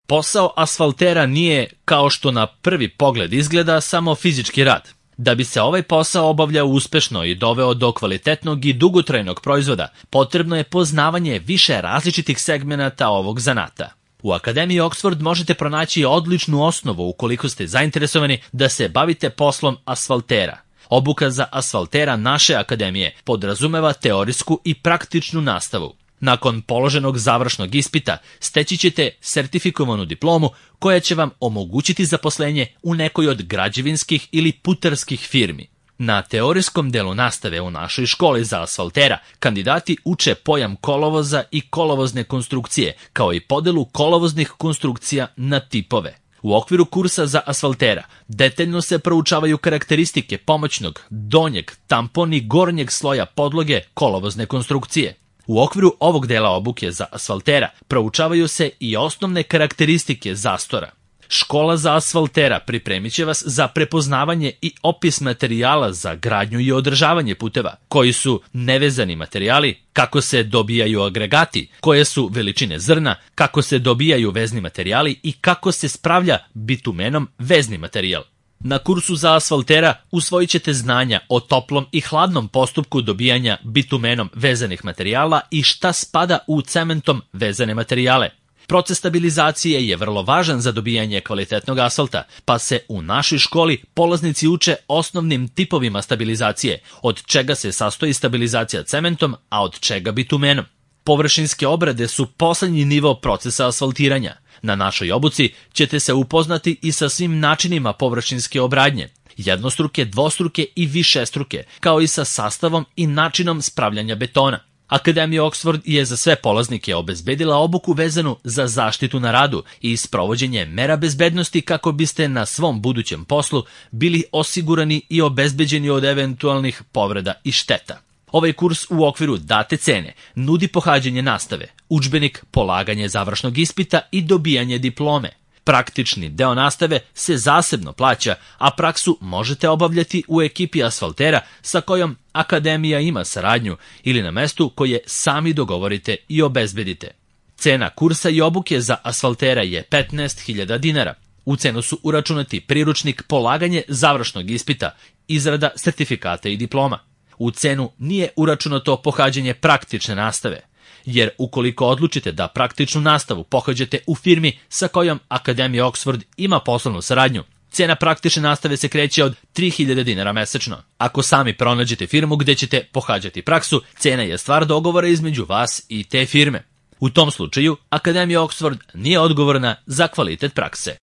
Posao asfaltera nije, kao što na prvi pogled izgleda, samo fizički rad. Da bi se ovaj posao obavljao uspešno i doveo do kvalitetnog i dugotrajnog proizvoda, potrebno je poznavanje više različitih segmenata ovog zanata. U Akademiji Oxford možete pronaći odličnu osnovu ukoliko ste zainteresovani da se bavite poslom asfaltera. Obuka za asfaltera naše akademije podrazumeva teorijsku i praktičnu nastavu. Nakon položenog završnog ispita steći ćete sertifikovanu diplomu koja će vam omogućiti zaposlenje u nekoj od građevinskih ili putarskih firmi. Na teorijskom delu nastave u našoj školi za asfaltera kandidati uče pojam kolovoza i kolovozne konstrukcije, kao i podelu kolovoznih konstrukcija na tipove. U okviru kursa za asfaltera detaljno se proučavaju karakteristike pomoćnog, donjeg, tampon i gornjeg sloja podloge kolovozne konstrukcije. U okviru ovog dela obuke za asfaltera proučavaju se i osnovne karakteristike zastora. Škola za asfaltera pripremit će vas za prepoznavanje i opis materijala za gradnju i održavanje puteva, koji su nevezani materijali, kako se dobijaju agregati, koje su veličine zrna, kako se dobijaju vezni materijali i kako se spravlja bitumenom vezni materijal. Na kursu za asfaltera usvojit ćete znanja o toplom i hladnom postupku dobijanja bitumenom vezanih materijala i šta spada u cementom vezane materijale. Proces stabilizacije je vrlo važan za dobijanje kvalitetnog asfalta, pa se u našoj školi polaznici uče osnovnim tipovima stabilizacije, od čega se sastoji stabilizacija cementom, a od čega bitumenom. Površinske obrade su poslednji nivo procesa asfaltiranja. Na našoj obuci ćete se upoznati i sa svim načinima površinske obradnje, jednostruke, dvostruke i višestruke, kao i sa sastavom i načinom spravljanja betona. Akademija Oxford je za sve polaznike obezbedila obuku vezanu za zaštitu na radu i sprovođenje mera bezbednosti kako biste na svom budućem poslu bili osigurani i obezbeđeni od eventualnih povreda i šteta. Ovaj kurs u okviru date cene nudi pohađanje nastave, udžbenik, polaganje završnog ispita i dobijanje diplome. Praktični deo nastave se zasebno plaća, a praksu možete obavljati u ekipi asfaltera sa kojom akademija ima saradnju ili na mestu koje sami dogovorite i obezbedite. Cena kursa i obuke za asfaltera je 15.000 dinara. U cenu su uračunati priručnik, polaganje završnog ispita, izrada sertifikata i diploma. U cenu nije uračunato pohađanje praktične nastave, jer ukoliko odlučite da praktičnu nastavu pohađate u firmi sa kojom Akademija Oxford ima poslovnu saradnju, cena praktične nastave se kreće od 3.000 dinara mesečno. Ako sami pronađete firmu gde ćete pohađati praksu, cena je stvar dogovora između vas i te firme. U tom slučaju, Akademija Oxford nije odgovorna za kvalitet prakse.